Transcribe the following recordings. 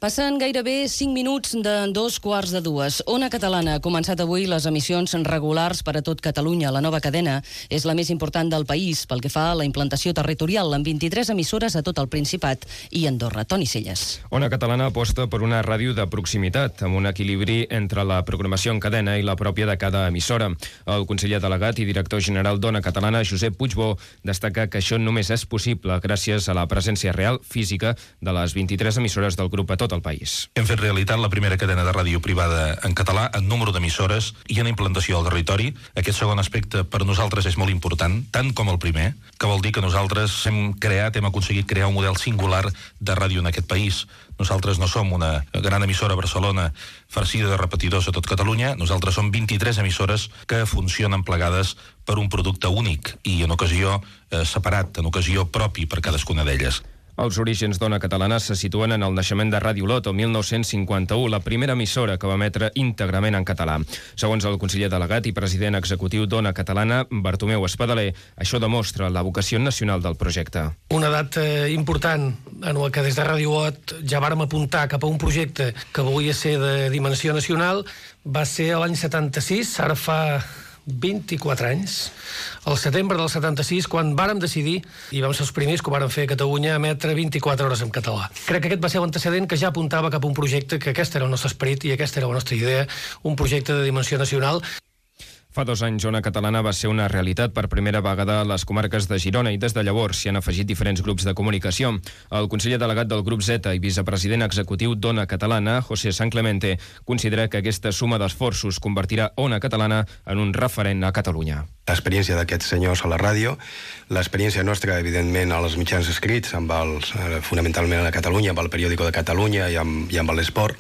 Passen gairebé 5 minuts de 2:15. Ona Catalana ha començat avui les emissions regulars per a tot Catalunya. La nova cadena és la més important del país pel que fa a la implantació territorial, amb 23 emissores a tot el Principat i Andorra. Toni Celles. Ona Catalana aposta per una ràdio de proximitat, amb un equilibri entre la programació en cadena i la pròpia de cada emissora. El conseller delegat i director general d'Ona Catalana, Josep Puigbó, destaca que això només és possible gràcies a la presència real, física, de les 23 emissores del grup a tot el país. Hem fet realitat la primera cadena de ràdio privada en català en número d'emissores i en implantació al territori. Aquest segon aspecte per nosaltres és molt important, tant com el primer, que vol dir que nosaltres hem aconseguit crear un model singular de ràdio en aquest país. Nosaltres no som una gran emissora a Barcelona farcida de repetidors a tot Catalunya, nosaltres som 23 emissores que funcionen plegades per un producte únic i en ocasió separat, en ocasió propi per cadascuna d'elles. Els orígens d'Ona Catalana se situen en el naixement de Ràdio Lot, el 1951, la primera emissora que va emetre íntegrament en català. Segons el conseller delegat i president executiu d'Ona Catalana, Bartomeu Espadaler, això demostra la vocació nacional del projecte. Una data important en la que des de Ràdio Lot ja vàrem apuntar cap a un projecte que volia ser de dimensió nacional va ser l'any 76, ara fa 24 anys, al setembre del 76, quan vàrem decidir, i vam ser els primers que ho vàrem fer a Catalunya, emetre 24 hores en català. Crec que aquest va ser l'antecedent que ja apuntava cap a un projecte, que aquest era el nostre esperit i aquesta era la nostra idea, un projecte de dimensió nacional. Fa 2 anys, Ona Catalana va ser una realitat per primera vegada a les comarques de Girona i des de llavors s'hi han afegit diferents grups de comunicació. El conseller delegat del grup Z i vicepresident executiu d'Ona Catalana, José San Clemente, considera que aquesta suma d'esforços convertirà Ona Catalana en un referent a Catalunya. L'experiència d'aquests senyors a la ràdio, l'experiència nostra, evidentment, als mitjans escrits, fonamentalment a Catalunya, amb el periòdico de Catalunya i amb l'Esport,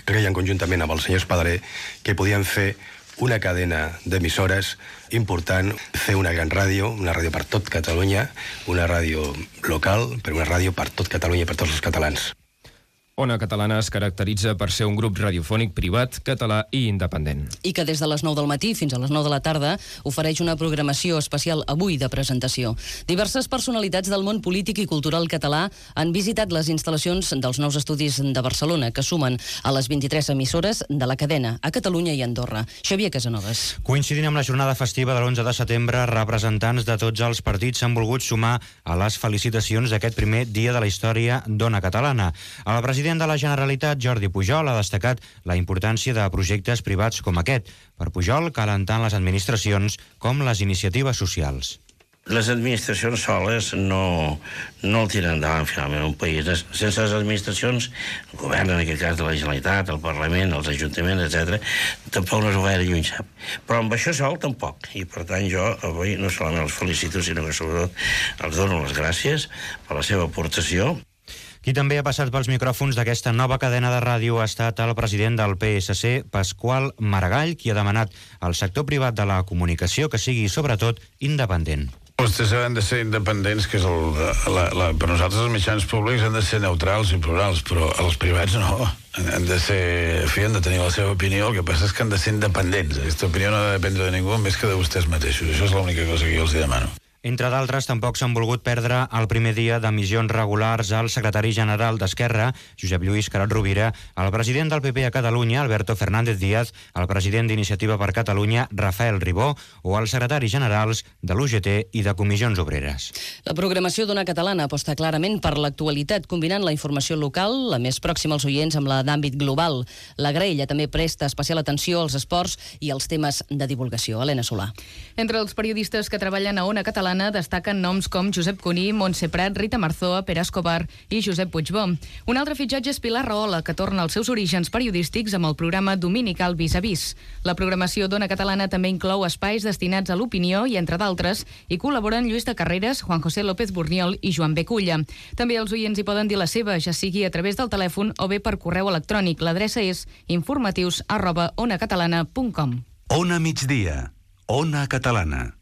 creien conjuntament amb el senyor Espadaler que podien fer una cadena d'emissores important, fer una gran ràdio, una ràdio per tot Catalunya, una ràdio local, però una ràdio per tot Catalunya i per tots els catalans. Ona Catalana es caracteritza per ser un grup radiofònic privat, català i independent. I que des de les 9 del matí fins a les 9 de la tarda ofereix una programació especial avui de presentació. Diverses personalitats del món polític i cultural català han visitat les instal·lacions dels nous estudis de Barcelona, que sumen a les 23 emissores de la cadena a Catalunya i Andorra. Xavier Casanovas. Coincidint amb la jornada festiva de l'11 de setembre, representants de tots els partits s'han volgut sumar a les felicitacions d'aquest primer dia de la història d'Ona Catalana. El president de la Generalitat, Jordi Pujol, ha destacat la importància de projectes privats com aquest. Per Pujol, calen tant les administracions com les iniciatives socials. Les administracions soles no el tiren endavant finalment un país. Sense les administracions, el govern, en aquest cas de la Generalitat, el Parlament, els ajuntaments, etc., tampoc no es va gaire lluny, sap? Però amb això sol tampoc. I per tant jo avui no solament els felicito, sinó que sobretot els dono les gràcies per la seva aportació. Qui també ha passat pels micròfons d'aquesta nova cadena de ràdio ha estat el president del PSC, Pasqual Maragall, qui ha demanat al sector privat de la comunicació que sigui, sobretot, independent. Vostès han de ser independents, que és per nosaltres els mitjans públics han de ser neutrals i plurals, però els privats no. Han de ser, han de tenir la seva opinió, el que passa és que han de ser independents. Aquesta opinió no ha de dependre de ningú més que de vostès mateixos. Això és l'única cosa que jo els demano. Entre d'altres, tampoc s'han volgut perdre el primer dia d'emissions regulars al secretari general d'Esquerra, Josep Lluís Carod Rovira, el president del PP a Catalunya, Alberto Fernández Díaz, el president d'Iniciativa per Catalunya, Rafael Ribó, o els secretaris generals de l'UGT i de Comissions Obreres. La programació d'Ona Catalana aposta clarament per l'actualitat, combinant la informació local, la més pròxima als oients, amb la d'àmbit global. La graella també presta especial atenció als esports i als temes de divulgació. Helena Solà. Entre els periodistes que treballen a Ona Catalana destaquen noms com Josep Cuní, Montse Prat, Rita Marzoa, Pere Escobar i Josep Puigbó. Un altre fitxatge és Pilar Rahola, que torna als seus orígens periodístics amb el programa dominical Vis a Vis. La programació d'Ona Catalana també inclou espais destinats a l'opinió i, entre d'altres, hi col·laboren Lluís de Carreras, Juan José López Burniol i Joan Beculla. També els oients hi poden dir la seva, ja sigui a través del telèfon o bé per correu electrònic. L'adreça és informatius@onacatalana.com. Ona Migdia. Ona Catalana.